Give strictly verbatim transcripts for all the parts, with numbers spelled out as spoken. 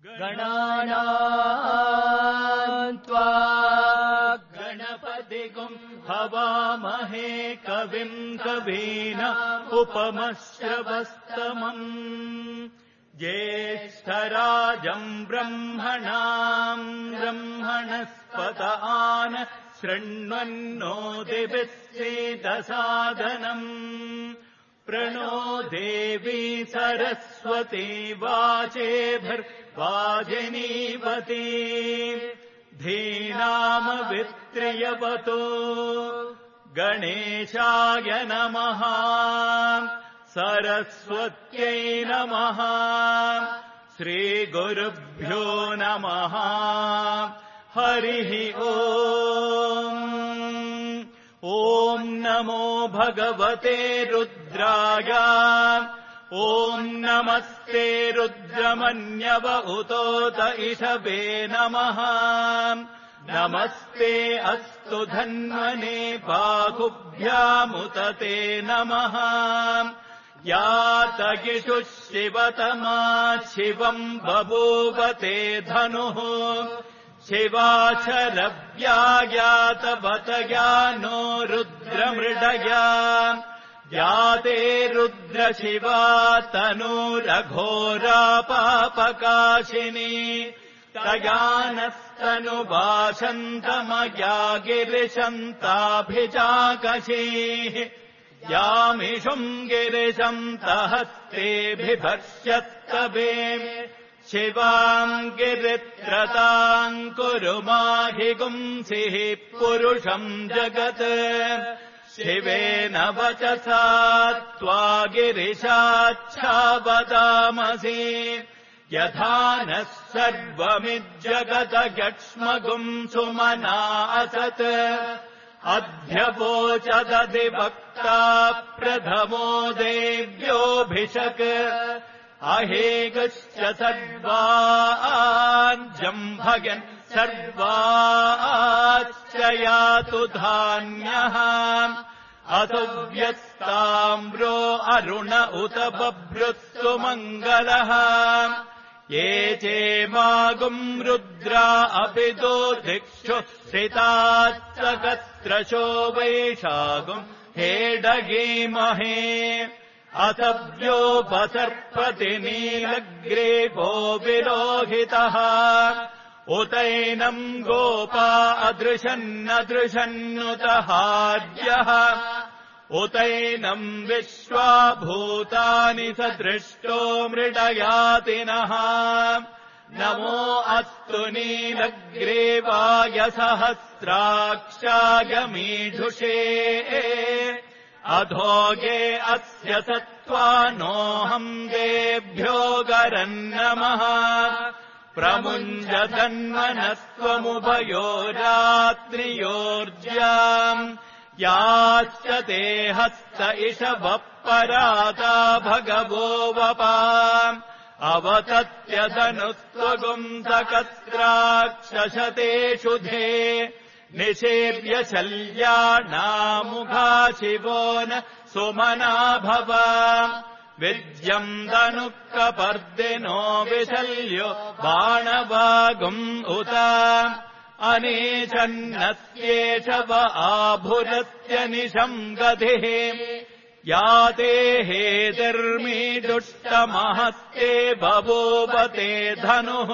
गणानां त्वा गणपतिगुं हवामहे कविं कवीनाम् उपमश्रवस्तमम् ज्येष्ठराजम् ब्रह्मणाम् ब्रह्मणस्पत आन शृण्वन्नो दिभिः सीदसादनम् प्रणो देवी सरस्वती वाचेभिर्वाजिनीवती धीनामवित्र्यवतो गणेशाय नमः सरस्वत्यै नमः श्रीगुरुभ्यो नमः हरिः ओम् ॐ नमो भगवते रुद्राय ॐ नमस्ते रुद्रमन्यव उतोत इषवे नमः नमस्ते अस्तु धन्वने बाहुभ्यामुत ते नमः यातगिषुः शिवतमा शिवम् बभूवते धनुः शिवाचरव्यायातवतया नो रुद्रमृडया याते रुद्रशिवा तनूरघोरा पापकाशिनी तया नस्तनुभाषन्तमया गिरिशन्ताभिजाकशीः यामिषुम् गिरिशन्तहस्तेऽभिभक्ष्यत्तवे शिवाम् गिरित्रताम् कुरु माहि गुंसिः पुरुषम् जगत् शिवेन वचसा त्वा गिरिशाच्छावदामसि यथा नः सर्वमिज्जगदयक्ष्मगुम् सुमना असत् अध्यवोचदधिवक्ता प्रथमो देव्योऽभिषक् अहेगश्च सर्वाञ्जम्भयन् सर्वाश्च यातु धान्यः अतो व्यस्ताम्रो अरुण उत बभ्रुत्सु मङ्गलः ये चेमागुम् रुद्रा अपि दो दिक्षु स्थितात्सकत्रशो वैशागुम् हेडगीमहे अतव्योपसर्पति नीलग्रीवो विलोहितः उतैनम् गोपा अदृशन्नदृशन्नुतहार्यः उतैनम् विश्वा भूतानि सदृष्टो मृडयातिनः नमो अस्तु नीलग्रीवाय सहस्राक्षाय मीढुषे अधोगे अस्य सत्त्वानोऽहम् देभ्यो गरन्नमः प्रमुञ्जतन्मनस्त्वमुभयोरात्रियोर्ज्याम् याश्च ते हस्त इषवः पराता भगवो वपा अवतत्यदनुस्त्वगुंसकस्राक्षशतेषु धे निषेव्य शल्यानामुखा शिवो न सुमना भव विद्यम् दनुःकपर्दिनो विशल्यो बाणवागुम् उत अनेशन्नस्येष व आभुरस्य निशम् गतिः याते हेतिर्मीदुष्टमहस्ते बभूवते धनुः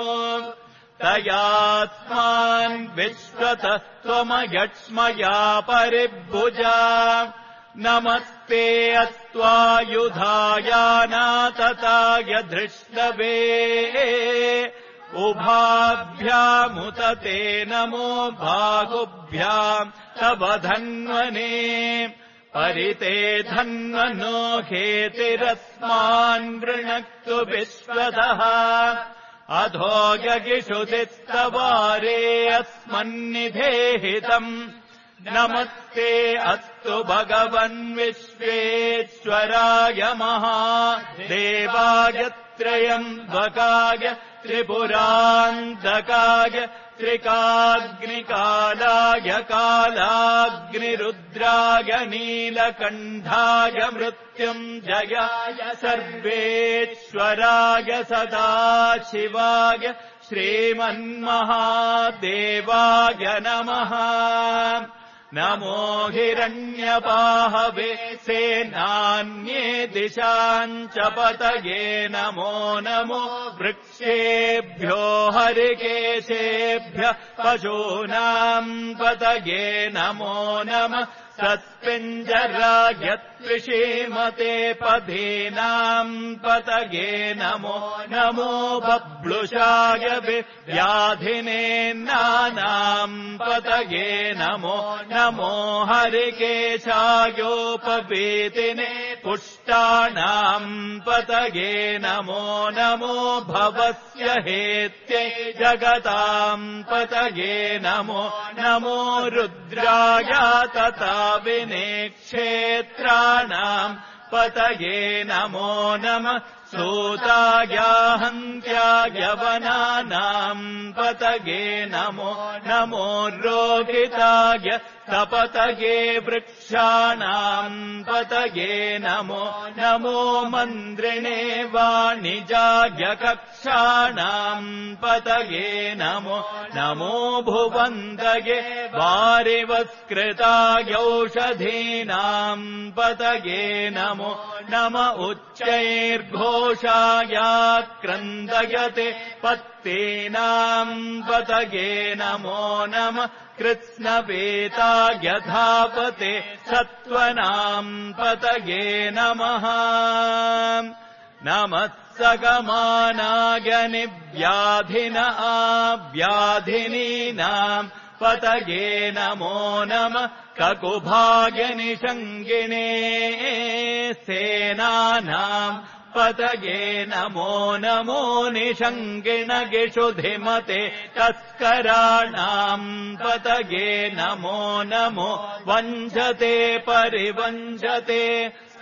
तयास्मान् विश्वतः त्वमयक्ष्मया परिभुजा नमस्ते अस्त्वायुधायानातताय धृष्टवे उभाभ्यामुत ते नमो बाहुभ्याम् तव धन्वने परिते धन्वनो हेतिरस्मान् वृणक्तु विश्वतः अधो यगिषुतिस्तवारे अस्मन्निधेहितम् नमस्ते अस्तु भगवन् विश्वेश्वराय महादेवाय त्र्यम्बकाय त्रिपुरान्तकाय त्रिकाग्निकालाय कालाग्निरुद्राय नीलकण्ठाय मृत्युञ्जयाय सर्वेश्वराय सदाशिवाय श्रीमन्महादेवाय नमः। नमो हिरण्यबाहवे सेनान्ये दिशाञ्च पतये नमो नमो वृक्षेभ्यो हरिकेशेभ्यः पशूनाम् पतये नमो नमः। सत्पिञ्जराय त्रिषीमते पदीनाम् पतये नमो नमो बब्लुषाय व्याधिनेन्नानाम् पतये नमो नमो हरिकेशायोपवीतिने पुष्टानाम् पतये नमो नमो भवस्य हेत्यै जगताम् पतये नमो नमो रुद्राय तथा विनेक्षेत्राणाम् पतये नमो नमः। सूताय हन्त्याय वनानाम् पतये नमो नमो रोहिताय सपतये वृक्षाणाम् पतये नमो नमो मन्द्रिणे वाणिजाय कक्षाणाम् पतये नमो नमो भुवन्दये वारिवस्कृताय औषधीनाम् पतये नमो नम उच्चैर्घोषाय क्रन्दयते पत्तीनाम् पतये नमो नमः। कृत्स्नवेताय धापते सत्त्वनाम् पतये नमः नमः। सगमानाय निव्याधिन आव्याधिनीनाम् पतये नमो नमः। ककुभाय निषङ्गिणे सेनानाम् पतये नमो नमो निषङ्गिणगिषुधिमते तस्कराणाम् पतये नमो नमो वञ्चते परिवञ्चते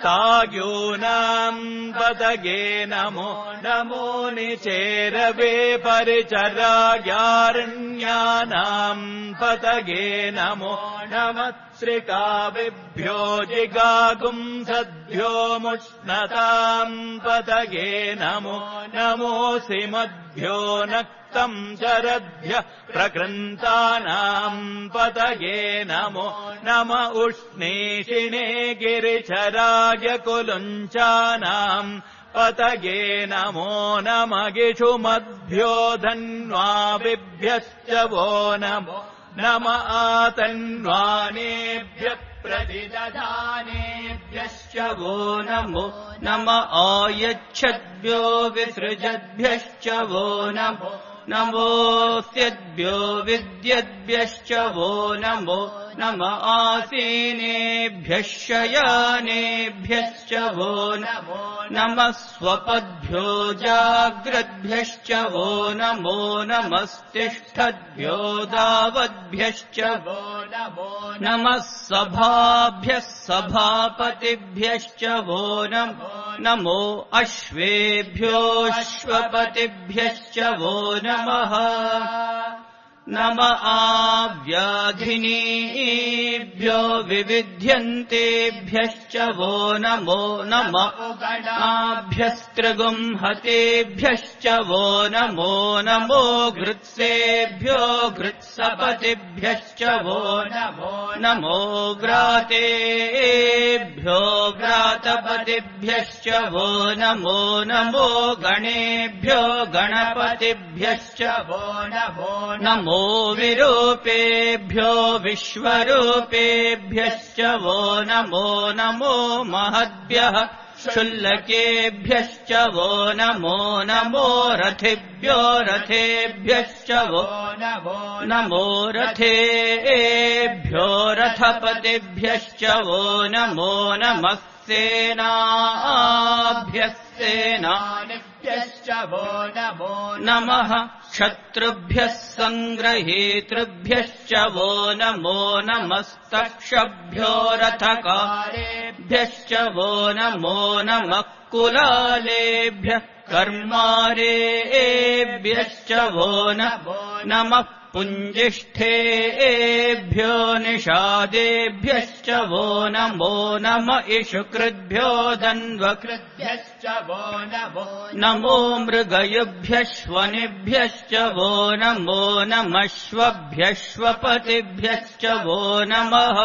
सायूनाम् पतये नमो नमो निचेरवे परिचरायारण्यानाम् पतये नमो नमः। श्रिकाविभ्यो जिगागुंसद्भ्यो मुष्णताम् पतये नमो नमोऽसि मद्भ्यो नक्तम् शरद्भ्यः प्रकृन्तानाम् पतये नमो नम उष्णीषिणे गिरिचराय कुलुञ्चानाम् पतये नमो नम गिषुमद्भ्यो धन्वाविभ्यश्च वो नमो नम आतन्वानेभ्यः प्रतिदधानेभ्यश्च वो नमो नम आयच्छद्भ्यो विसृजद्भ्यश्च वो नमो नमोऽस्यद्भ्यो विद्यद्भ्यश्च वो नमो नम आसीनेभ्यः शयानेभ्यश्च वो नमो नमः स्वपद्भ्यो जाग्रद्भ्यश्च वो नमो नमस्तिष्ठद्भ्यो दावद्भ्यश्च वो नमो नमः सभाभ्यः सभापतिभ्यश्च वो नमो नमो अश्वेभ्यो अश्वपतिभ्यश्च वो नमः नम आव्याधिनीभ्यो विविध्यन्तेभ्यश्च वो नमो नम आभ्यस्त्रिगुंहतेभ्यश्च वो नमो नमो घृत्सेभ्यो घृत्सपतिभ्यश्च वो नमो नमो व्रातेभ्यो व्रातपतिभ्यश्च वो नमो नमो गणेभ्यो गणपतिभ्यश्च वो नमो नमो विरूपेभ्यो विश्वरूपेभ्यश्च वो नमो नमो महद्भ्यः शुल्लकेभ्यश्च वो नमो नमो रथेभ्यो रथेभ्यश्च वो नमो नमो रथेभ्यो रथपतिभ्यश्च वो नमो नमः सेनाभ्यः सेनानिभ्यश्च वो नमो नमः शत्रुभ्यः सङ्ग्रहेतृभ्यश्च वो नमो नमस्तक्षभ्यो रथकारेभ्यश्च वो नमो नमः कुलालेभ्यः कर्मारेभ्यश्च वो नमः पुञ्जिष्ठेभ्यो निषादेभ्यश्च वो नमो नम इषुकृद्भ्यो दन्वकृद्भ्यश्च वो नमो नमो मृगयुभ्यश्वनिभ्यश्च वो नमो नमश्वभ्यश्वपतिभ्यश्च वो नमः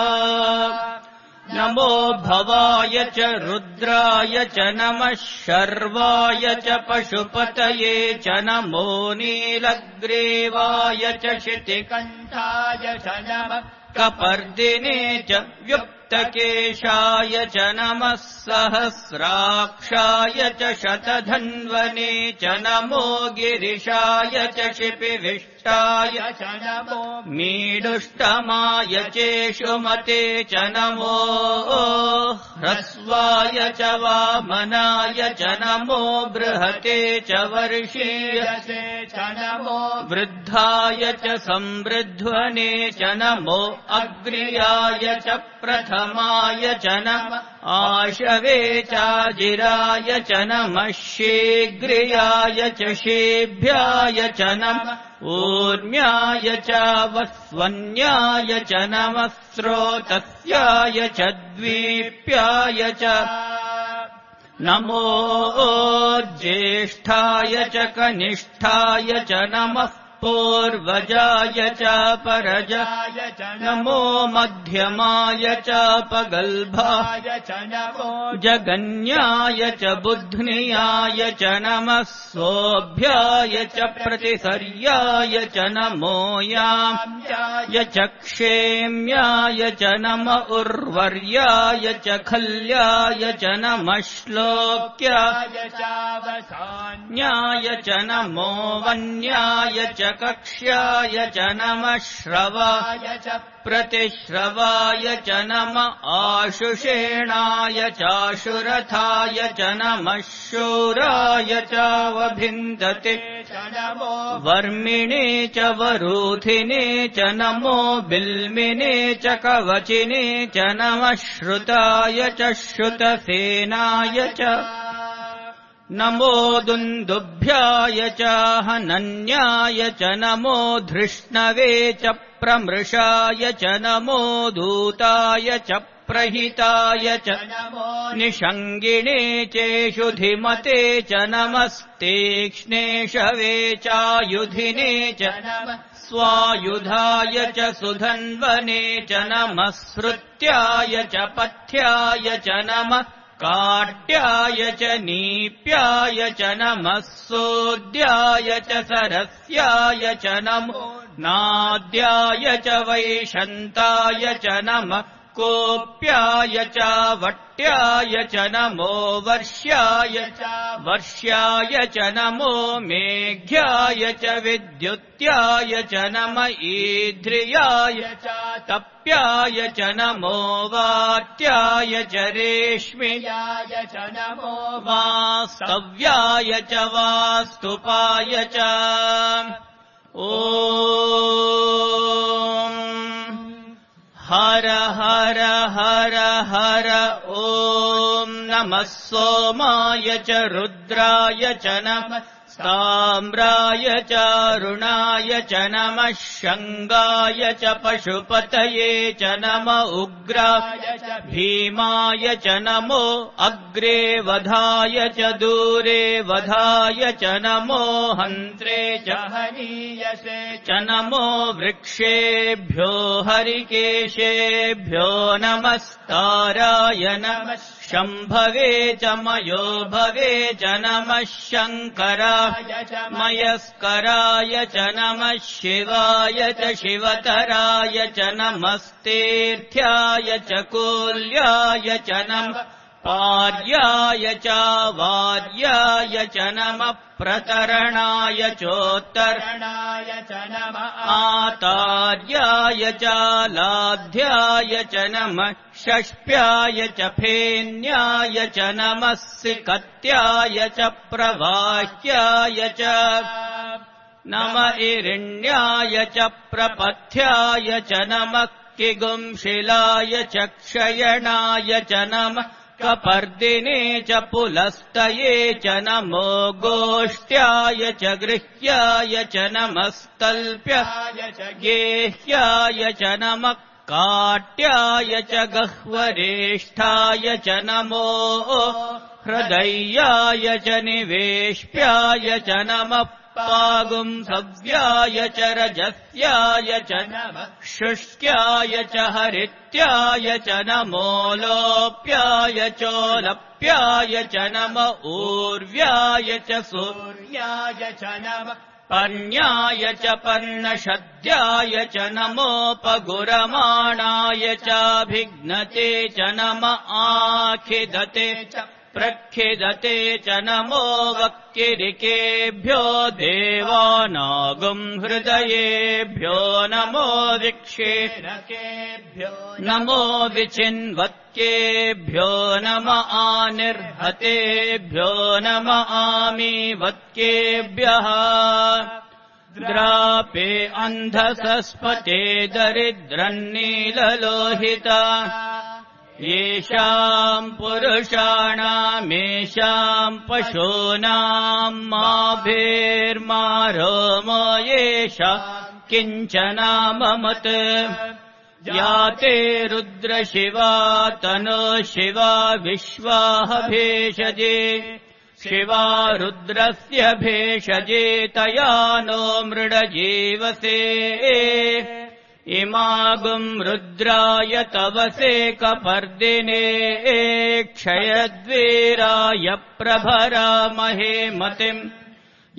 नमो भवाय च रुद्राय च नमः शर्वाय च पशुपतये च नमो नीलग्रीवाय च शितिकण्ठाय च नमः कपर्दिने च व्युक्तकेशाय च नमः सहस्राक्षाय च शतधन्वने च नमो गिरिशाय च शिपिविष्टाय च नमो मीडुष्टमाय चेषुमते च नमो ह्रस्वाय च वामनाय च नमो बृहते च वर्षीयसे च नमो वृद्धाय च संवृध्वने च नमो अग्र्याय च प्रथमाय च नमः आशवे चाजिराय च नमः शीघ्रियाय च शेभ्याय च नमः ऊर्म्याय च वस्वन्याय च नमः स्रोतस्याय च द्वीप्याय च नमो ज्येष्ठाय च कनिष्ठाय च नमः पूर्वजाय च परजाय च नमो मध्यमाय च पगल्भाय च नमो जगन्याय च बुध्नियाय च नमः सोऽभ्याय च प्रतिसर्याय च नमो याम्याय च क्षेम्याय च नम उर्वर्याय च खल्याय च नमः श्लोक्याय चावसान्याय च नमो वन्याय च कक्ष्याय च नमः श्रवाय च प्रतिश्रवाय च नमः आशुषेणाय चाशुरथाय च नमः शूराय चावभिन्दते च नमो वर्मिणे च वरूथिने च नमो बिल्मिने च कवचिने च नमः श्रुताय च श्रुतसेनाय च नमो दुन्दुभ्याय च हनन्याय च नमो धृष्णवे च प्रमृषाय च नमो दूताय च प्रहिताय च नमो निषङ्गिणे चेषुधिमते च नमस्तीक्ष्णे शवे चायुधिने च नमः स्वायुधाय च सुधन्वने च नमः श्रुत्याय च पथ्याय च नमः काट्याय च नीप्याय च नमः सोद्याय च सरस्याय च नमो नाद्याय च वैशन्ताय च नमः कोप्याय च वट्याय च नमो वर्ष्याय च वर्ष्याय च नमो मेघ्याय च विद्युत्याय च नम ईध्रियाय च तप्याय च नमो वात्याय च रेश्म्याय च नमो वास्तव्याय च वास्तुपाय च ॐ हर हर हर हर ॐ नमः सोमाय च रुद्राय च नमः ताम्राय च अरुणाय च नमः शङ्गाय च पशुपतये च नम उग्राय च भीमाय च नमो अग्रे वधाय च दूरे वधाय च नमो हन्त्रे च हनीयसे च नमो वृक्षेभ्यो हरिकेशेभ्यो नमस्ताराय नमः शम्भवे च मयो भवे च नमः शङ्कराय च मयस्कराय च नमः शिवाय च शिवतराय च नमस्तीर्थ्याय च कूल्याय च नमः पार्याय च वार्याय च नमः प्रतरणाय चोत्तरणाय च नमः आतार्याय च लाध्याय च नमः षष्प्याय च फेन्याय च नमः सिकत्याय च प्रवाह्याय च नम इरिण्याय च प्रपथ्याय च नमः किगुंशिलाय च क्षयणाय च नमः कपर्दिने च पुलस्तये च नमो गोष्ठ्याय च गृह्याय च नमस्तल्प्याय च गेह्याय च नमः काट्याय च गह्वरेष्ठाय च नमो हृदयाय च निवेश्याय च नमः पागुंसव्याय च रजस्याय च नमः शुष्क्याय च हरित्याय च नमो लोप्याय चोलप्याय च नम ऊर्व्याय च सूर्याय च नमः पर्ण्याय च पर्णशद्याय च नमोपगुरमाणाय चाभिघ्नते च नम आखिदते च प्रखिदते च नमो वक्किरिकेभ्यो देवानागुं हृदयेभ्यो नमो विक्षेरकेभ्यो नमो विचिन्वत्केभ्यो नम आनिर्हतेभ्यो नम आमीवत्केभ्यः द्रापे अन्धसस्पते दरिद्रन्नीललोहिता येषाम् पुरुषाणामेषाम् पशूनाम् माभिर्मारोमो येषाम् किञ्चनाममत् या ते रुद्रशिवा तनो शिवा विश्वाह भेषजे शिवा रुद्रस्य भेषजे तया नो मृडजीवसे इमागुं रुद्राय तवसे कपर्दिने क्षयद्वीराय प्रभरामहे मतिम्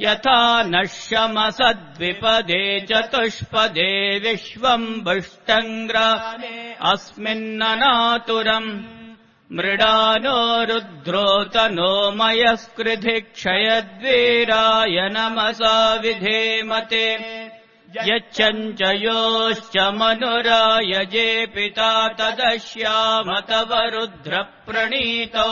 यथा नश्यमसद्विपदे चतुष्पदे विश्वम् बुष्टङ्ग्रामे अस्मिन्ननातुरम् मृडानो रुद्रोतनो मयस्कृधि क्षयद्वीराय नमसा विधेमते यच्चञ्चयोश्च मनुरायजे पिता तदश्याम तव रुद्रप्रणीतौ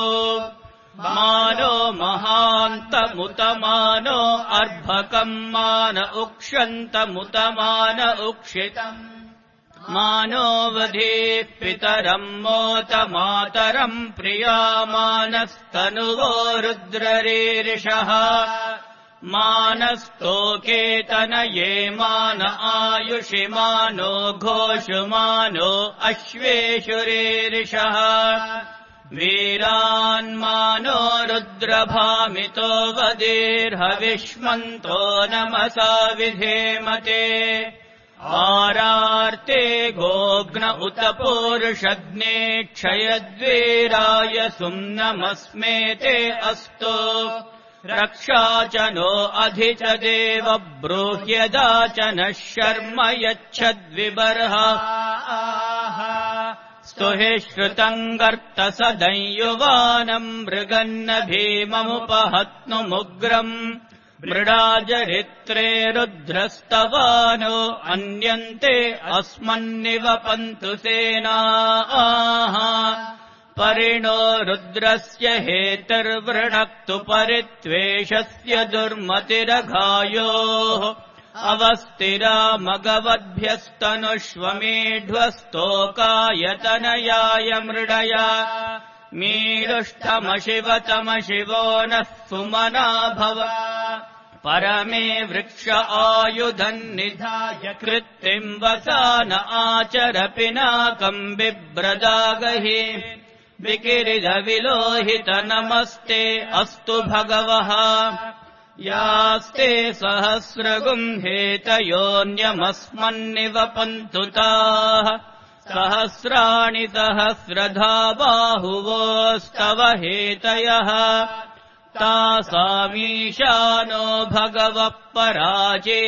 मानो महान्तमुतमानो अर्भकम् मान उक्षन्तमुतमान उक्षितम् मानो वधेः पितरम् मोत मातरम् प्रियामानस्तनुवो रुद्ररीरिषः मानस्तोकेतनये मान आयुषि मानो घोषुमानो अश्वेषुरीरिषः वीरान्मानो रुद्रभामितो वदेर्हविष्मन्तो नमसा विधेमते आरार्ते गोग्न उत पूरुषग्ने क्षयद्वीराय सुम्नमस्मेते अस्तु रक्षा च नो अधि च देव ब्रूह्यदा च नः शर्म यच्छद्विबर्हा स्तुहि श्रुतम् गर्तसदंयुवानम् मृगन्न भीममुपहत्नुमुग्रम् मृडाजरित्रे रुद्रस्तवानो अन्यन्ते अस्मन्निवपन्तु सेनाः परिणो रुद्रस्य हेतुर्वृणक्तु परित्वेषस्य दुर्मतिरघायोः अवस्थिरा मगवद्भ्यस्तनुष्वमेढ्वस्तोकायतनयाय मृडया मीडुष्टमशिवतमशिवो नः सुमना भव परमे वृक्ष आयुधन्निधाय कृत्तिम् वसान आचर पिनाकम् बिभ्रदागहि विकिरिदविलोहित नमस्ते अस्तु भगवः यास्ते सहस्रगुंहेतयोऽन्यमस्मन्निवपन्तु ताः सहस्राणि सहस्रधा बाहुवोस्तव हेतयः तासामीशानो भगवः पराचेनामुखाकृते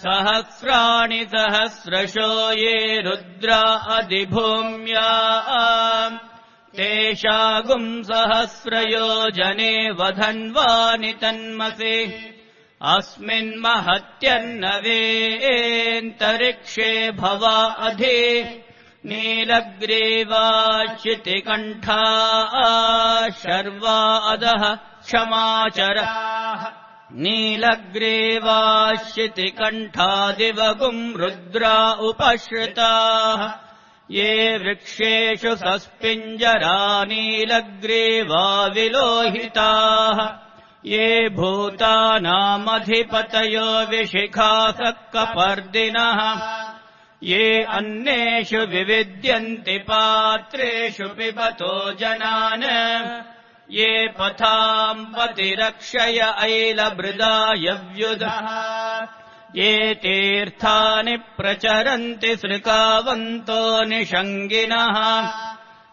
सहस्राणि सहस्रशो ये रुद्रा अधिभूम्या तेषागुम् सहस्रयोजने वधन्वानि तन्मसे अस्मिन्महत्यन्नवेऽन्तरिक्षे भवा अधि नीलग्रीवाच्युतिकण्ठा शर्वा अधः क्षमाचराः नीलग्रीवाच्युतिकण्ठा दिवगुम् रुद्रा उपश्रिताः ये वृक्षेषु सस्पिञ्जरानीलग्रीवा विलोहिताः ये भूतानामधिपतयो विशिखासः कपर्दिनः ये अन्नेषु विविद्यन्ति पात्रेषु पिबतो जनान् ये पथाम् पतिरक्षय ऐलभृदायव्युधः ये तीर्थानि प्रचरन्ति सृकावन्तो निषङ्गिनः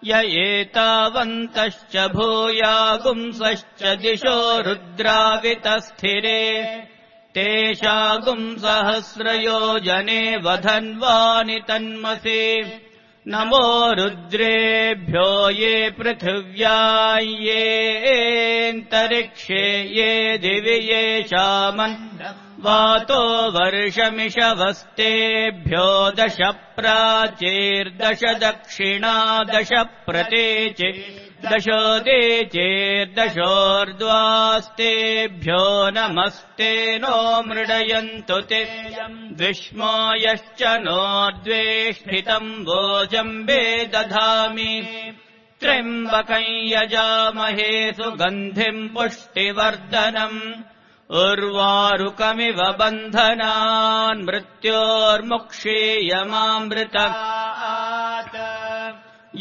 य एतावन्तश्च भूयागुंसश्च दिशो रुद्रावितस्थिरे तेषागुंसहस्रयोजने वधन्वानि तन्मसि नमो रुद्रेभ्यो ये पृथिव्या येऽन्तरिक्षे ये दिवि येषामन् वातो वर्षमिषवस्तेभ्यो दश प्राचीर्दश दक्षिणा दश प्रतीचि दशोदीचेर्दशोर्ध्वास्तेभ्यो नमस्ते नो मृडयन्तु ते द्विष्मो यश्च नोर्द्वेष्टितम् वोजम्बे दधामि त्र्यम्बकं यजामहे सुगन्धिम् पुष्टिवर्धनम् उर्वारुकमिव बन्धनान् मृत्योर्मुक्षीयमामृतात्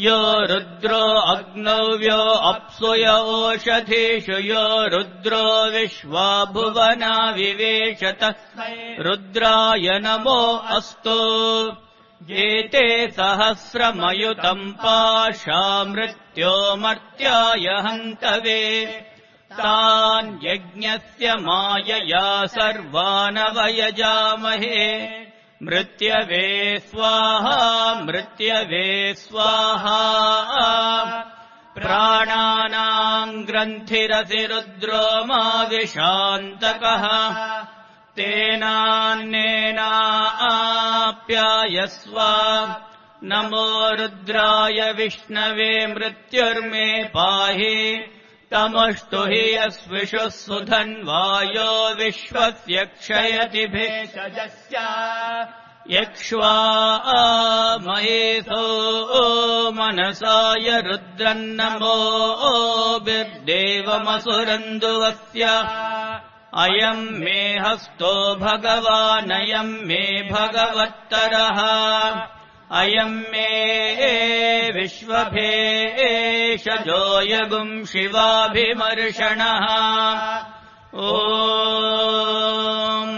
यो रुद्रो अग्नौ यो अप्सु य ओषधीषु यो रुद्रो विश्वा भुवना विवेशत रुद्राय नमो अस्तु एते सहस्रमयुतम् पाशा मृत्योमर्त्याय हन्तवे तान् यज्ञस्य मायया सर्वानवयजामहे मृत्यवे स्वाहा मृत्यवे स्वाहा प्राणानाम् ग्रन्थिरसि रुद्रो मा विशान्तकः तेनान्नेनाप्यायस्व नमो रुद्राय विष्णवे मृत्युर्मे पाहि तमस्तु हि यस्विषुः सुधन्वायो विश्वस्य क्षयति भेषजस्य यक्ष्वा महेशो मनसाय रुद्रन्नमो बिर्देवमसुरन्दुवस्य अयम् मे हस्तो भगवानयम् मे भगवत्तरः अयम् मे विश्वभेषजोऽयगुम् शिवाभिमर्षणः ॐ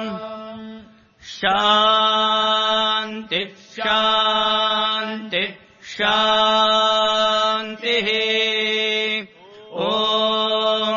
शान्ति शान्ति शान्तिः ॐ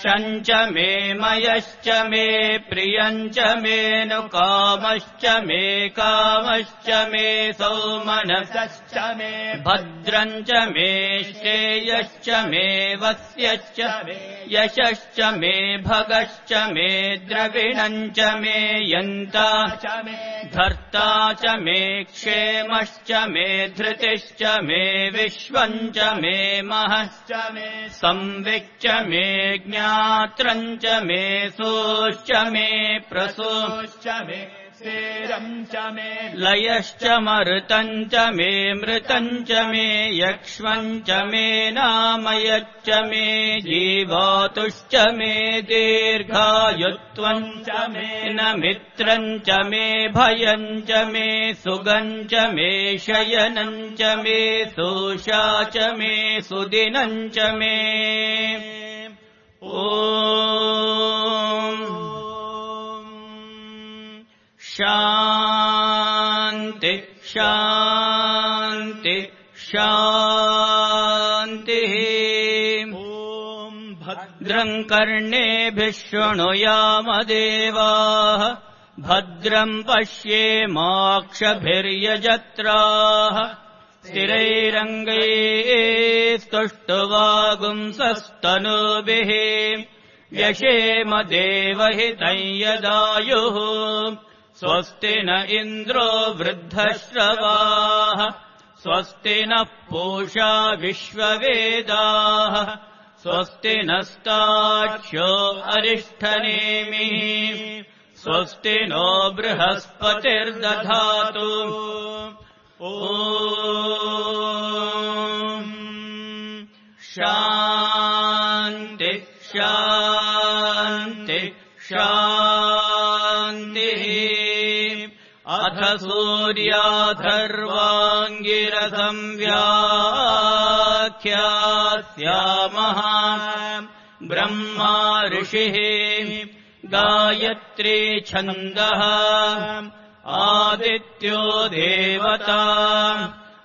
शञ्च मे मयश्च मे प्रियञ्च मे नु कामश्च मे कामश्च मे सौमनसश्च मे भद्रञ्च मे श्रेयश्च मे वस्यश्च मे यशश्च मे भगश्च मे द्रविणञ्च मे यन्ता च मे धर्ता च मे क्षेमश्च मे धृतिश्च मे विश्वञ्च मे महश्च मे संविच्च मे ज्ञात्रञ्च मे सोश्च मे प्रसोश्च मे स्थिरञ्च मे लयश्च मरुतञ्च मे मृतञ्च मे यक्ष्मञ्च मे नामयच्च मे जीवातुश्च मे दीर्घायुत्वञ्च मे न मित्रञ्च मे भयञ्च मे सुगञ्च मे शयनञ्च मे सोषा च मे सुदिनञ्च मे ॐ शान्ति शान्ति शान्तिः ॐ भद्रम् कर्णेभिः शृणुयाम देवाः भद्रम् पश्येमाक्षभिर्यजत्राः स्थिरैरङ्गैस्तुष्टुवागुंसस्तनूभिः व्यशेम देवहितं यदायुः स्वस्ति न इन्द्रो वृद्धश्रवाः स्वस्ति नः पूषा विश्ववेदाः स्वस्ति नस्ताक्ष्यो अरिष्ठनेमिः स्वस्ति नो बृहस्पतिर्दधातु ॐ शान्ति शान्ति शान्तिः अथ सूर्याथर्वाङ्गिरसं व्याख्यास्यामः ब्रह्मा ऋषिः गायत्री छन्दः आदित्यो देवता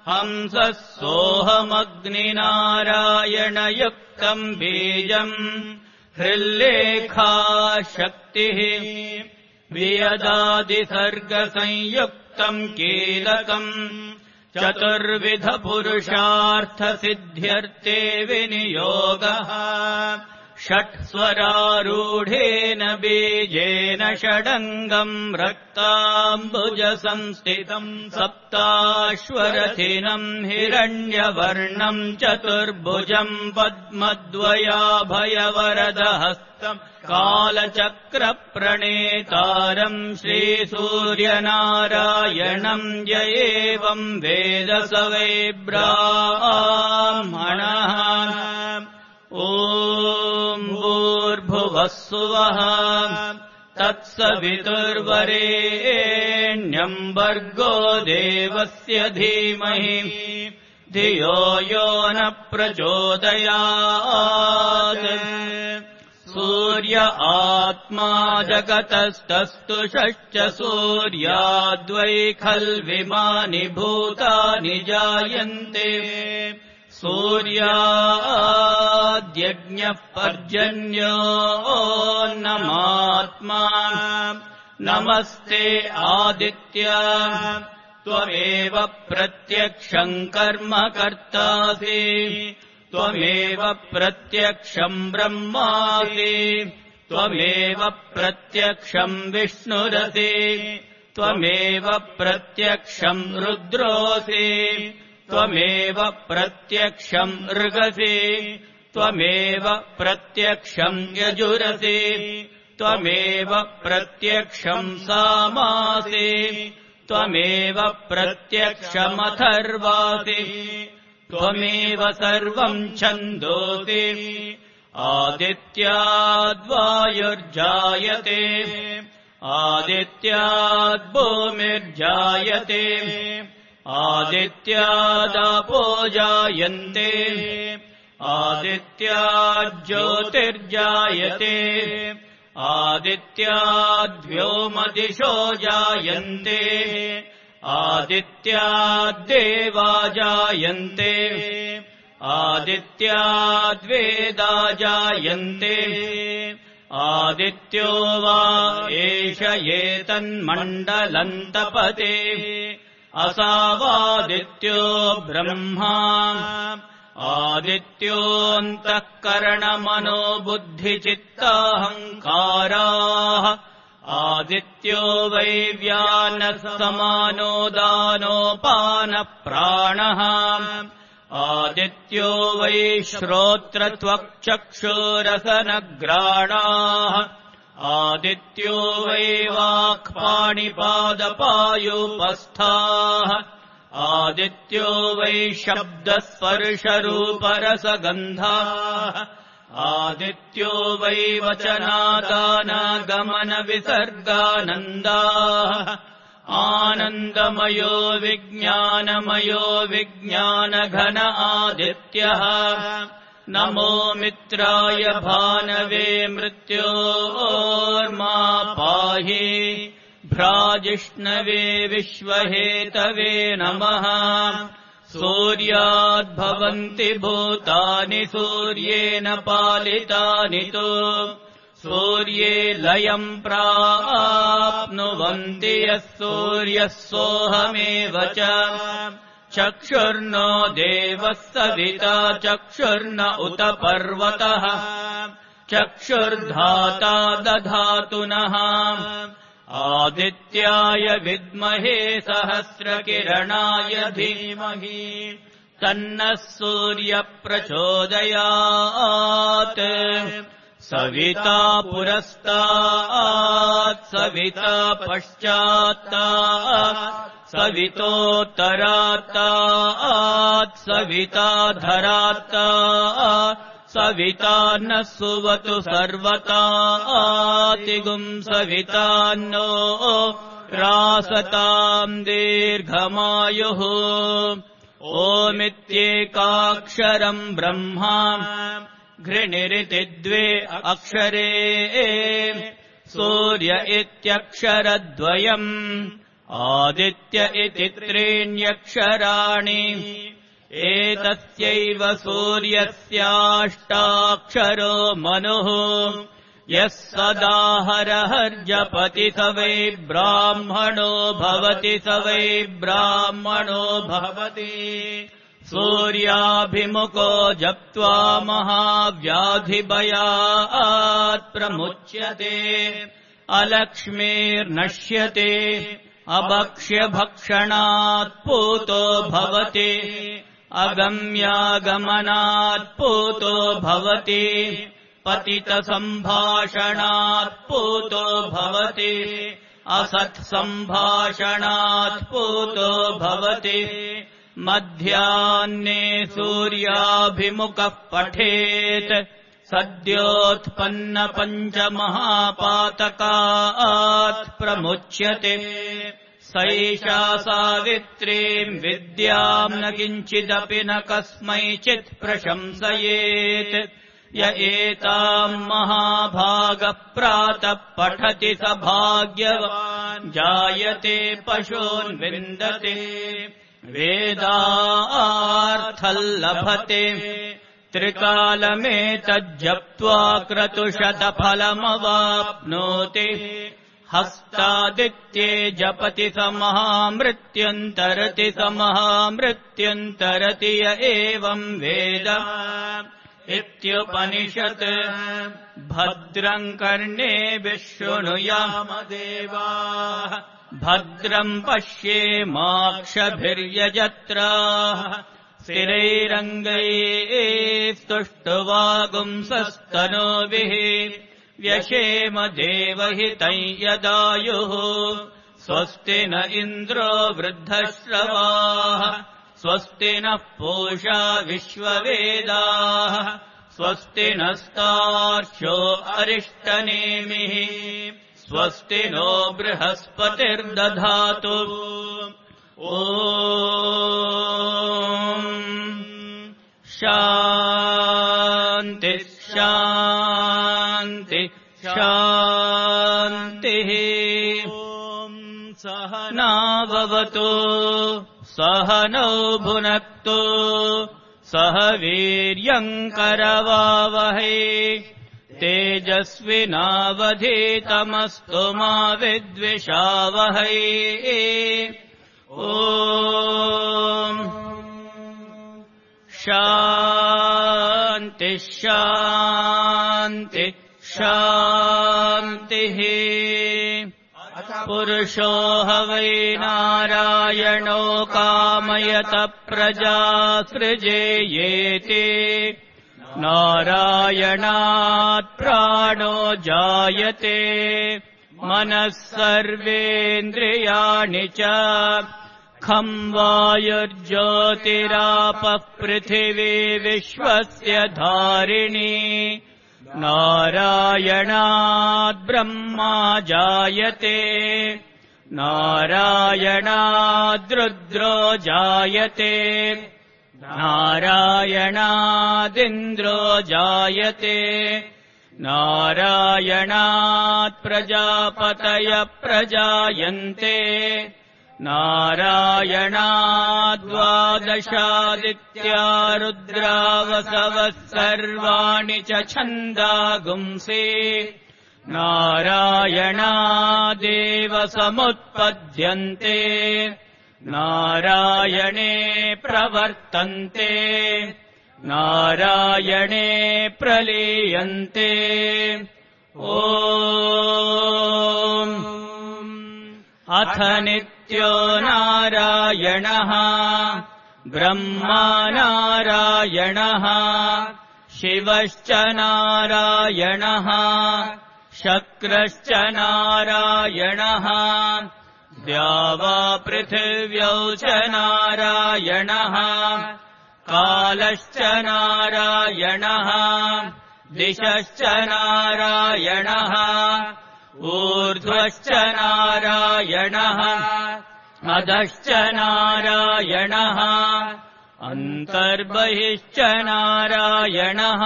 हंसः सोऽहमग्निनारायणयुक्तम् बीजम् हृल्लेखा शक्तिः वियदादिसर्गसंयुक्तम् कीलकम् चतुर्विधपुरुषार्थसिद्ध्यर्थे विनियोगः षट्स्वरारूढेन बीजेन षडङ्गम् रक्ताम्बुजसंस्थितम् सप्ताश्वरथिनम् हिरण्यवर्णम् चतुर्भुजम् पद्मद्वयाभयवरदहस्तम् कालचक्रप्रणेतारम् श्रीसूर्यनारायणम् य एवम् वेद स वै ब्राह्मणः ॐ भूर्भुवः सुवः तत्सवितुर्वरेण्यम् भर्गो देवस्य धीमहि धियो यो न प्रचोदयात् सूर्य आत्मा जगतस्तस्तु षट् सूर्याद्वै खल्विमानि भूतानि जायन्ते सूर्याद्यज्ञः पर्जन्योऽन्नमात्मा नमस्ते आदित्य त्वमेव प्रत्यक्षम् कर्म कर्तासि त्वमेव प्रत्यक्षम् ब्रह्मासि त्वमेव प्रत्यक्षम् विष्णुरसि त्वमेव प्रत्यक्षम् रुद्रोऽसि त्वमेव प्रत्यक्षम् ऋगसि त्वमेव प्रत्यक्षम् यजुरसि त्वमेव प्रत्यक्षम् सामासि त्वमेव प्रत्यक्षमथर्वासि त्वमेव सर्वम् छन्दोसि आदित्याद्वायुर्जायते आदित्याद्भूमिर्जायते आदित्यादापो जायन्ते आदित्याज्योतिर्जायते आदित्याद्व्योमदिशो जायन्ते आदित्याद्देवा जायन्ते आदित्याद्वेदा जायन्ते आदित्यो वा एष एतन्मण्डलन्तपते असावादित्यो ब्रह्मा आदित्योऽन्तःकरणमनो बुद्धिचित्ताहङ्काराः आदित्यो वै व्यानः समानो दानोपानप्राणः आदित्यो वै श्रोत्रत्वक्चक्षुरसनग्राणाः आदित्यो वै वाक्पाणिपादपायुपस्थाः आदित्यो वै शब्दस्पर्शरूपरसगन्धाः आदित्यो वै वचनादानागमनविसर्गानन्दाः आनन्दमयो विज्ञानमयो विज्ञानघन आदित्यः नमो मित्राय भानवे मृत्योर्मा पाहि भ्राजिष्णवे विश्वहेतवे नमः सूर्याद्भवन्ति भूतानि सूर्येण पालितानि तु सूर्ये लयम् प्राप्नुवन्ति यः सूर्यः सोऽहमेव च चक्षुर्नो देवः सविता चक्षुर्न उत पर्वतः चक्षुर्धाता दधातु नः आदित्याय विद्महे सहस्रकिरणाय धीमहि तन्नः सूर्यप्रचोदयात् सविता पुरस्तात् सविता पश्चात्तात् सवितोत्तरात्तात् सविताधरात्तात् सविता न सुवतु सर्वतातिगुं सवितान्नो रासताम् दीर्घमायुः ओमित्येकाक्षरम् ब्रह्मा घृणिरिति द्वे अक्षरे सूर्य इत्यक्षरद्वयम् आदित्य इति त्रीण्यक्षराणि एतस्यैव सूर्यस्याष्टाक्षरो मनुः यः सदाहरहर्जपति स वै ब्राह्मणो भवति स वै ब्राह्मणो भवति सूर्याभिमुखो जप्त्वा महाव्याधिभयात् प्रमुच्यते अलक्ष्मीर्नश्यते अभक्ष्यभक्षणात् पूतो भवति अगम्यागमनात् पूतो भवति पतितसम्भाषणात् पूतो भवति असत्सम्भाषणात् पूतो भवति मध्याह्ने सूर्याभिमुखः पठेत् सद्योत्पन्नपञ्चमहापातकात् प्रमुच्यते सैषा सावित्रीम् विद्याम् न किञ्चिदपि न कस्मैचित् प्रशंसयेत् य एताम् महाभागः प्रातः पठति स भाग्यवान् जायते पशून् विन्दते वेदार्थल्लभते त्रिकालमेतज्जप्त्वा क्रतुशतफलमवाप्नोति हस्तादित्ये जपति स महामृत्युन्तरति स महामृत्युन्तरति य एवम् वेद इत्युपनिषत् भद्रम् कर्णेभिः शृणुयाम देवाः भद्रम् पश्येमाक्षभिर्यजत्राः स्थिरैरङ्गैः स्तुष्टुवागुंसस्तनूभिः व्यशेम देवहितं यदायुः स्वस्ति न इन्द्रो वृद्धश्रवाः स्वस्ति नः पूषा विश्ववेदाः स्वस्ति नस्तार्क्ष्यो अरिष्टनेमिः स्वस्ति नो बृहस्पतिर्दधातु ॐ शान्ति शान्ति शान्तिः ॐ सहना भवतु सहनौ भुनक्तु सह वीर्यम् करवावहै तेजस्विनावधीतमस्तु मा विद्विषावहै ॐ शान्ति शान्ति शान्तिः पुरुषो ह वै नारायणो कामयत प्रजा सृजेयेति नारायणात् प्राणो जायते मनः सर्वेन्द्रियाणि च खं वायुर्ज्योतिरापः पृथिवी विश्वस्य धारिणी नारायणात् ब्रह्मा जायते नारायणाद् रुद्रो जायते नारायणादिन्द्रो जायते नारायणात् प्रजापतयः प्रजायन्ते नारायणाद्वादशादित्या रुद्रावसवः सर्वाणि च छन्दागुंसि नारायणादेव समुत्पद्यन्ते नारायणे प्रवर्तन्ते नारायणे प्रलीयन्ते ॐ अथ नित्यो नारायणः ब्रह्मा नारायणः शिवश्च नारायणः शक्रश्च नारायणः द्यावा पृथिव्यौ च नारायणः कालश्च नारायणः दिशश्च नारायणः ऊर्ध्वश्च नारायणः अधश्च नारायणः अन्तर्बहिश्च नारायणः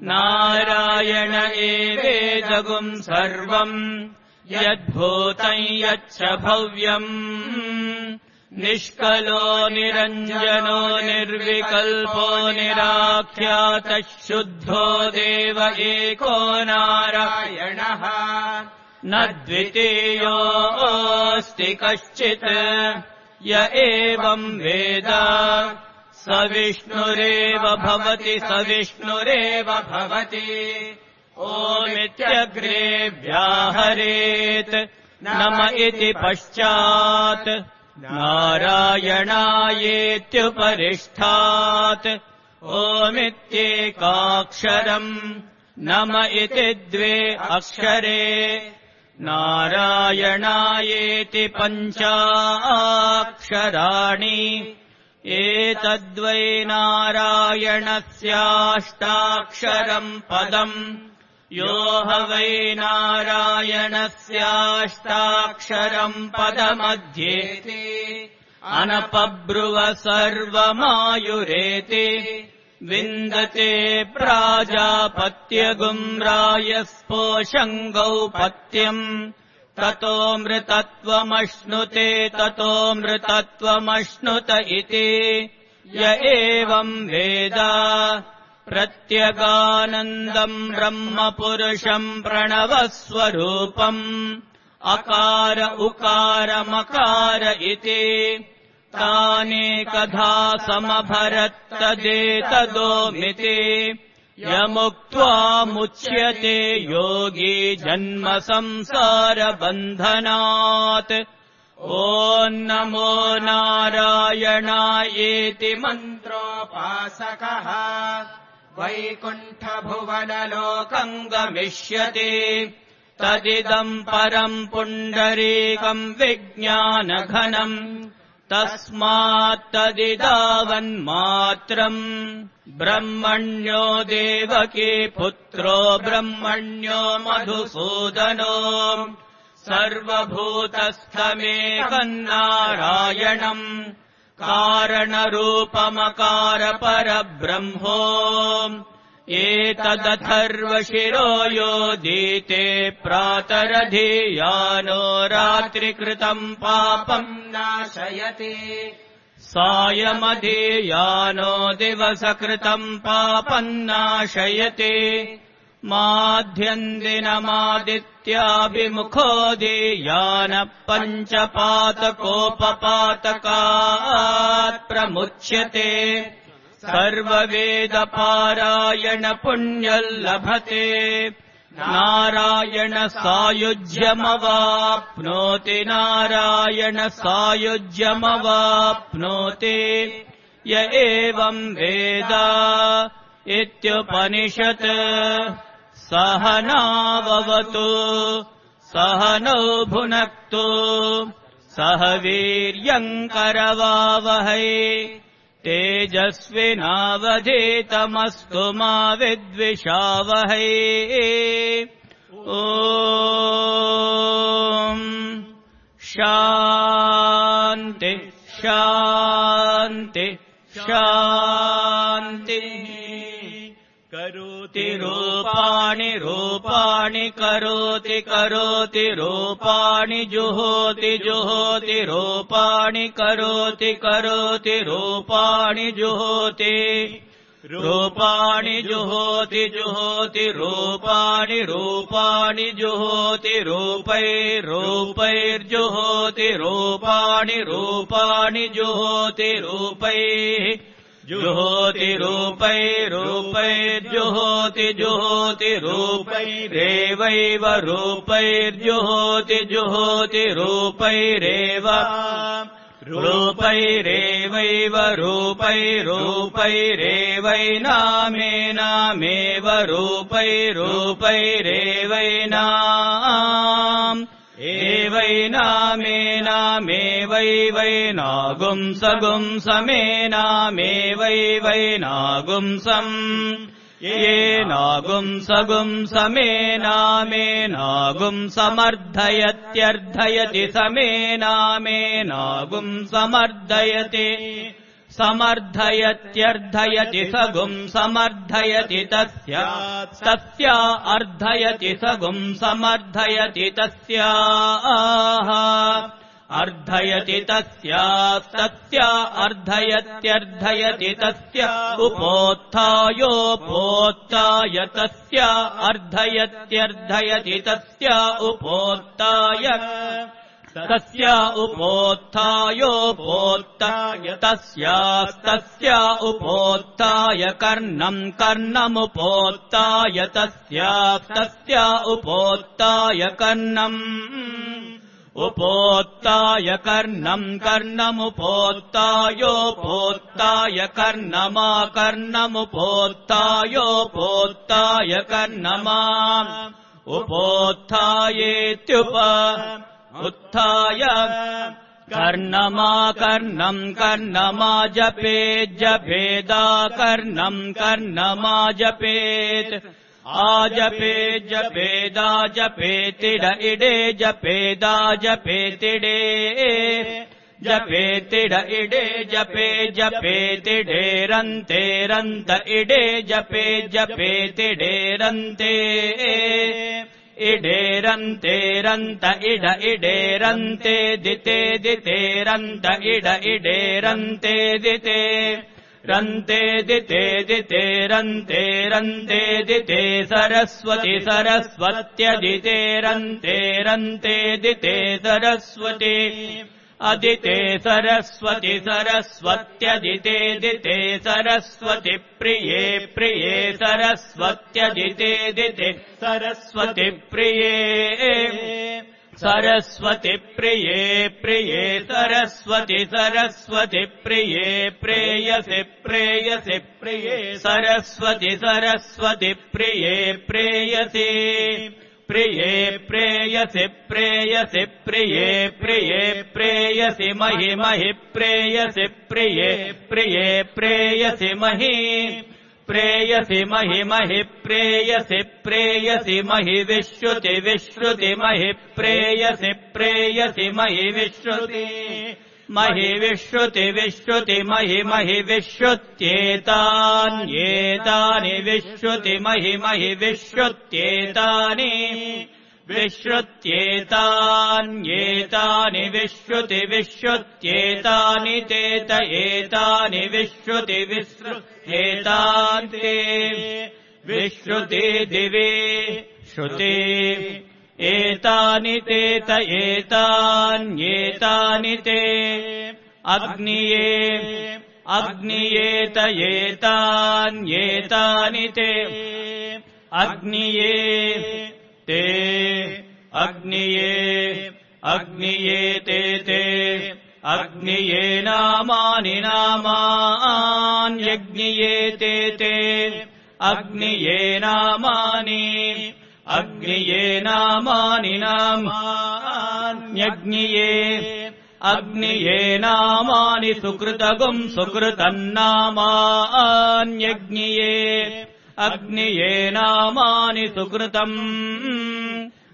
नारायण एवेदगुं सर्वम् यद्भूतं यच्च भव्यम् निष्कलो निरञ्जनो निर्विकल्पो निराख्यातः शुद्धो देव एको नारायणः न द्वितीयोऽस्ति कश्चित् य एवं वेद स विष्णुरेव भवति स विष्णुरेव भवति ओमित्यग्रे व्याहरेत् नम इति पश्चात् नारायणायेत्युपरिष्ठात् ओमित्येकाक्षरम् नम इति द्वे अक्षरे नारायणायेति पञ्चाक्षराणि एतद्वै नारायणस्याष्टाक्षरम् पदम् यो ह वै नारायणस्याष्टाक्षरम् पदमध्येति अनपब्रुव सर्वमायुरेति विन्दते प्राजापत्यगुम् रायस्पोषङ्गौ पत्यम् ततोऽमृतत्वमश्नुते ततोऽमृतत्वमश्नुत इति य एवम् वेद प्रत्यगानन्दम् ब्रह्मपुरुषम् प्रणवस्वरूपम् अकार उकारमकार इति तानेकधा समभरत्तदेतदोमिति यमुक्त्वा मुच्यते योगी जन्म संसारबन्धनात् ॐ नमो नारायणायेति मन्त्रोपासकः वैकुण्ठभुवनलोकम् गमिष्यति तदिदम् परम् पुण्डरीकम् विज्ञानघनम् तस्मात्तदिदावन्मात्रम् ब्रह्मण्यो देवकी पुत्रो ब्रह्मण्यो मधुसूदनो सर्वभूतस्थमेकम् नारायणम् कारणरूपमकारपरब्रह्मो एतदथर्वशिरो योदीते प्रातरधियानो रात्रिकृतम् पापम् नाशयति सायमधियानो दिवसकृतम् पापम् नाशयति माध्यन्दिनमादित्याभिमुखोदीयानः पञ्चपातकोपपातकात् प्रमुच्यते सर्ववेदपारायण पुण्यम् लभते नारायण सायुज्यमवाप्नोति नारायण सायुज्यमवाप्नोति य एवम् वेद इत्युपनिषत् सहनाववतु सहनौ भुनक्तु सह वीर्यम् करवावहै तेजस्विनावधीतमस्तु मा विद्विषावहै ॐ शान्ति शान्ति शान्तिः करोति रूपाणि रूपाणि करोति करोति रूपाणि जुहोति जुहोति रूपाणि करोति करोति रूपाणि जुहोति रूपाणि जुहोति जुहोति रूपाणि रूपाणि जुहोति रूपैर्रूपैर्जुहोति रूपाणि रूपाणि जुहोति रूपैः जुहोति रूपैर्रूपैर्जुहोति जुहोति रूपैरेवैव रूपैर्जुहोति जुहोति रूपैरेव रूपैरेवैव रूपैरूपैरेवैनामेनामेव रूपैरूपैरेवैनाम् एवैनामेनामेव वै वै नागुंसगुं समेनामे वै वै नागुंसम् ये नागुंसगुं समेनामे नागुं समर्धयत्यर्धयति समेनामे नागुं समर्धयति समर्धयत्यर्धयति सगुं समर्धयति तस्या तस्या अर्धयति सगुं समर्धयति तस्याः अर्धयति तस्या तस्या अर्धयत्यर्धयति तस्य उपोत्थायोपोत्थाय तस्या अर्धयत्यर्धयति तस्या उपोत्थाय तस्या उपोत्थायोपोत्थाय तस्यास्तस्या उपोत्थाय कर्णम् कर्णमुपोत्थाय तस्यास्तस्या उपोत्थाय कर्णम् उपोत्थाय कर्णम् कर्णमुपोत्थायोपोत्थाय कर्णमा कर्णमुपोत्थायोपोत्थाय कर्णमा उपोत्थायेत्युप उत्थाय कर्णमा कर्णम् कर्णमा जपेत् जपेदा कर्णम् कर्णमा जपेत् आजपेत् जपेदा जपेतिड इडे जपेदा जपेतिडे जपेतिड इडे जपे जपेतिडे रन्ते रन्त इडे जपे जपेतिडे रन्ते इडे रन्ते रन्त इड इडे रन्ते दिते दिते रन्त इड इडे रन्ते दिते रन्ते दिते दिते रन्ते रन्ते दिते सरस्वति सरस्वत्यदिते रन्ते रन्ते दिते सरस्वती अदिते सरस्वति सरस्वत्यदिते दिते सरस्वति प्रिये प्रिये सरस्वत्यदिते दिते सरस्वति प्रिये सरस्वति प्रिये प्रिये सरस्वति सरस्वति प्रिये प्रेयसि प्रेयसि प्रिये सरस्वति सरस्वति प्रिये प्रेयसि प्रिये प्रेयसि प्रेयसि प्रिये प्रिये प्रेयसि महि महि प्रेयसि प्रिये प्रिये प्रेयसि महि प्रेयसि महि महि प्रेयसि प्रेयसि महि विश्रुति विश्रुति महि प्रेयसि प्रेयसि महि विश्रुति महि विश्रुति विश्रुति महि महि विश्रुत्येतान्येतानि विश्रुति महि महि विश्रुत्येतानि विश्रुत्येतान्येतानि विश्रुति विश्रुत्येतानि तेत एतानि विश्रुति विश्रुत्येतानि ते विश्रुति दिवे श्रुति एतानि तेत एतान्येतानि ते अग्निये अग्नियेत एतान्येतानि ते अग्निये ते अग्निये अग्निये ते ते अग्निये नामानि नामान्यग्निये ते ते अग्निये नामानि अग्निये नामानि नामान्यग्निये अग्निये नामानि सुकृतगुं सुकृतन्नामान्यग्निये अग्निये नामानि सुकृतम्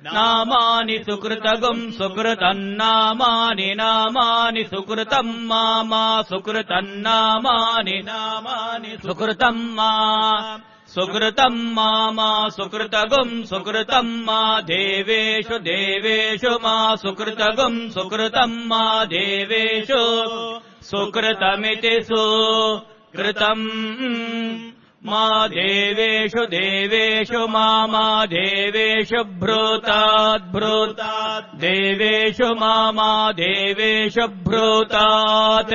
नामानि सुकृतगुं सुकृतन्नामानि नामानि सुकृतम् मामा सुकृतन्नामानि नामानि सुकृतम् मा सुकृतम् मामा सुकृतगुं सुकृतम् मा देवेषु देवेषु मा सुकृतगुं सुकृतम् मा देवेषु सुकृतमिति सुकृतम् मा देवेषु देवेषु मा मा देवेषु भ्रूतात् भ्रूतात् देवेषु मा मा देवेषु भ्रूतात्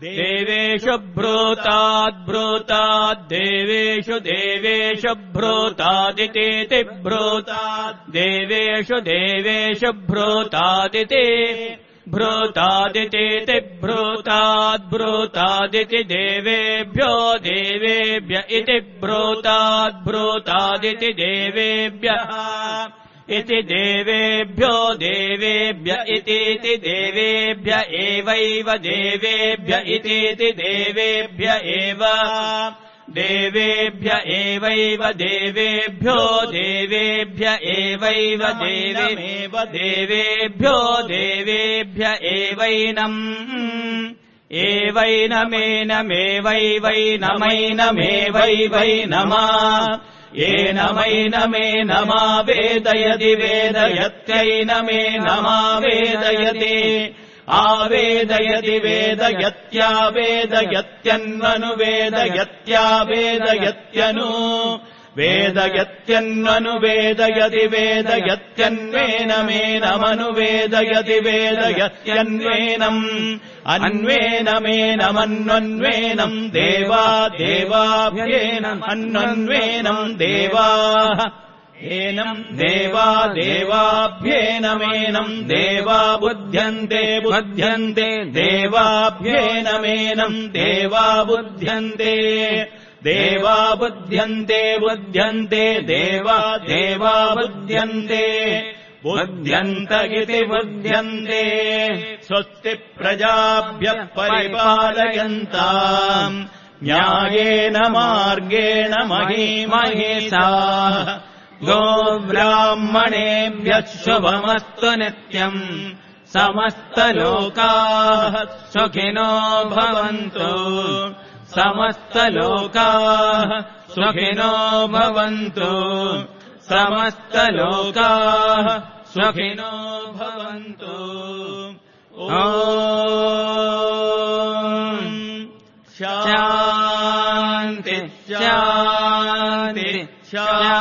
देवेषु भ्रूतात् भ्रूतात् देवेषु देवेषु भ्रूतादिति भ्रूतात् देवेषु देवेषु भ्रूतादिति भ्रूतादिति भ्रूतात् भ्रूतादिति देवेभ्यो देवेभ्य इति भ्रूतात् भ्रूतादिति देवेभ्यः इति देवेभ्यो देवेभ्य इतीति देवेभ्य एवैव देवेभ्य इतीति देवेभ्य एव देवेभ्य एवैव देवेभ्यो देवेभ्य एवैव देवमेव देवेभ्यो देवेभ्य एवैनम् एवैनमेनमेवैवैनमैनमेवैवैनमा येनमैनमेनमा वेदयति वेदयत्यैनमेनमा वेदयति आवेदयति वेदयत्यन्वनुवेदयत्यन्वनुवेदयत्यावेदयत्यनु वेदयत्यन्वनुवेदयति वेदयत्यन्वेनमेनमनुवेदयति वेदयत्यन्वेनम् अन्वेनमेनमन्वन्वेनम् देवा देवाभ्येनम् अन्वन्वेनम् देवाः एनम् देवा देवाभ्येनमेनम् देवा बुध्यन्ते बुध्यन्ते देवाभ्येनमेनम् देवा बुध्यन्ते देवा बुध्यन्ते बुध्यन्ते देवा देवा बुध्यन्ते बुध्यन्त इति बुध्यन्ते स्वस्ति प्रजाभ्यः परिपालयन्ताम् न्यायेन मार्गेण महीमहेषा गोब्राह्मणेभ्यः शुभमस्तु नित्यम् समस्तलोकाः सुखिनो भवन्तु समस्तलोकाः सुखिनो भवन्तु समस्तलोकाः सुखिनो भवन्तु ॐ शान्ति शान्ति शान्ति